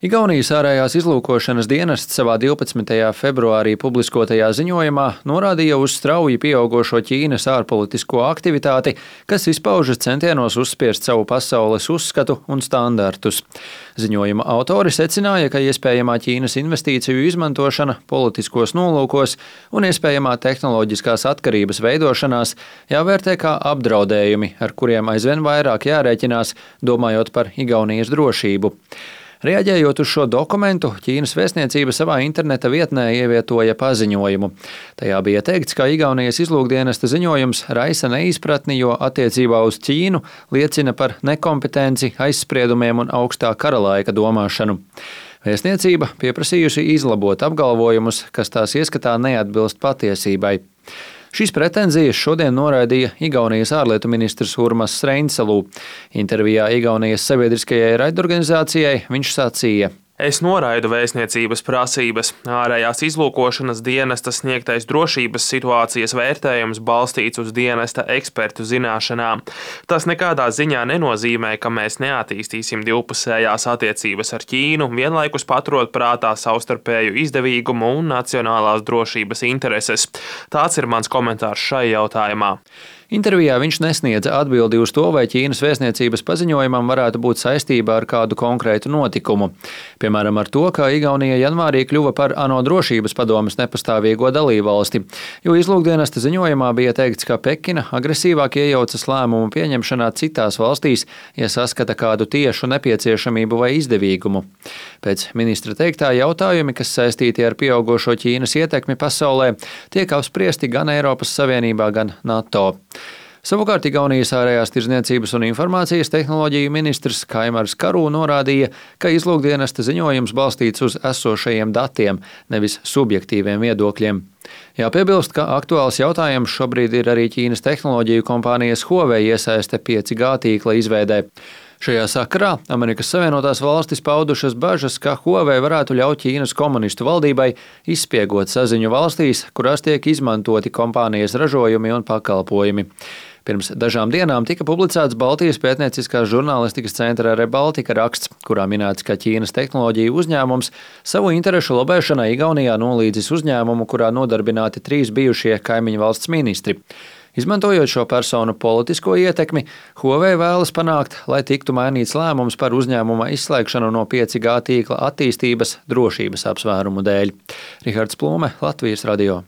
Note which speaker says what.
Speaker 1: Igaunijas ārējās izlūkošanas dienests savā 12. februārī publiskotajā ziņojumā norādīja uz strauji pieaugošo Ķīnas ārpolitisko aktivitāti, kas izpaužas centienos uzspiest savu pasaules uzskatu un standartus. Ziņojuma autori secināja, ka iespējamā Ķīnas investīciju izmantošana politiskos nolūkos un iespējamā tehnoloģiskās atkarības veidošanās jāvērtē kā apdraudējumi, ar kuriem aizvien vairāk jārēķinās, domājot par Igaunijas drošību. Reaģējot uz šo dokumentu, Ķīnas vēstniecība savā interneta vietnē ievietoja paziņojumu. Tajā bija teikts, ka Igaunijas izlūkdienesta ziņojums raisa neizpratni, jo attiecībā uz Ķīnu liecina par nekompetenci, aizspriedumiem un augstā karalaika domāšanu. Vēstniecība pieprasījusi izlabot apgalvojumus, kas tās ieskatā neatbilst patiesībai. Šīs pretenzijas šodien noraidīja Igaunijas ārlietu ministrs Urmas Reinsalu. Intervijā Igaunijas sabiedriskajai raidorganizācijai viņš sacīja:
Speaker 2: Es noraidu vēstniecības prasības. Ārējās izlūkošanas dienesta sniegtais drošības situācijas vērtējums balstīts uz dienesta ekspertu zināšanām. Tas nekādā ziņā nenozīmē, ka mēs neattīstīsim divpusējās attiecības ar Ķīnu, vienlaikus paturot prātā savstarpēju izdevīgumu un nacionālās drošības intereses. Tāds ir mans komentārs šai jautājumā.
Speaker 1: Intervijā viņš nesniedza atbildi uz to, vai Ķīnas vēstniecības paziņojumam varētu būt saistība ar kādu konkrētu notikumu. Piemēram, ar to, ka Igaunija janvārī kļuva par ANO drošības padomes nepastāvīgo dalībvalsti, jo izlūkdienesta ziņojumā bija teikts, ka Pekina agresīvāk iejaucas lēmumu pieņemšanā citās valstīs, ja saskata kādu tiešu nepieciešamību vai izdevīgumu. Pēc ministra teiktā jautājumi, kas saistīti ar pieaugošo Ķīnas ietekmi pasaulē, tiek apspriesti gan Eiropas Savienībā, gan NATO. Savukārt Igaunijas ārējās tirdzniecības un informācijas tehnoloģiju ministrs Kaimars Karu norādīja, ka izlūkdienesta ziņojums balstīts uz esošajiem datiem, nevis subjektīviem viedokļiem. Jāpiebilst, ka aktuāls jautājums šobrīd ir arī Ķīnas tehnoloģiju kompānijas Huawei iesaiste 5G tīkla izveidē. Šajā sakarā Amerikas Savienotās valstis paudušas bažas, ka Huawei varētu ļaut Ķīnas komunistu valdībai izspiegot saziņu valstīs, kurās tiek izmantoti kompānijas ražojumi un pakalpojumi. Pirms dažām dienām tika publicēts Baltijas pētnieciskās žurnālistikas centra Rebaltika raksts, kurā minēts, ka Ķīnas tehnoloģiju uzņēmums savu interešu lobēšanai Igaunijā nolīdzis uzņēmumu, kurā nodarbināti 3 bijušie kaimiņu valsts ministri. Izmantojot šo personu politisko ietekmi, Huawei vēlas panākt, lai tiktu mainīts lēmums par uzņēmuma izslēgšanu no 5G tīkla attīstības drošības apsvērumu dēļ. Rihards Plūme, Latvijas radio.